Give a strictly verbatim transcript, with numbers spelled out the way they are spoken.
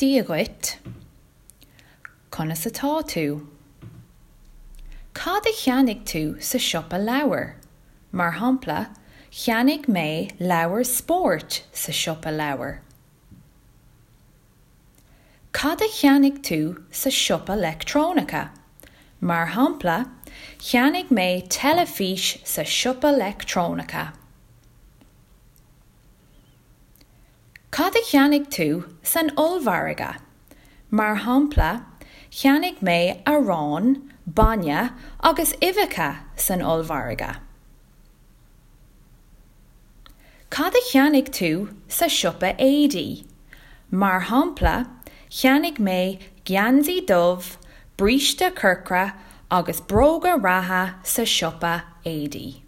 Dia dhuit. Conas atá tú? Cad a cheannaigh tú sa siopa leabhar? Mar shampla, cheannaigh mé leabhar spóirt sa siopa leabhar. Cad a cheannaigh tú sa siopa leictreonaice? Mar shampla, cheannaigh mé teilifís sa siopa leictreonaice. Cad a cheannaigh tú san ollmhargadh? Mar shampla, cheannaigh mé arán, bainne agus uibheacha san ollmhargadh. Cad a cheannaigh tú sa siopa éadaí? Mar shampla, cheannaigh mé geansaí dubh, bríste corcra agus bróga reatha sa siopa éadaí.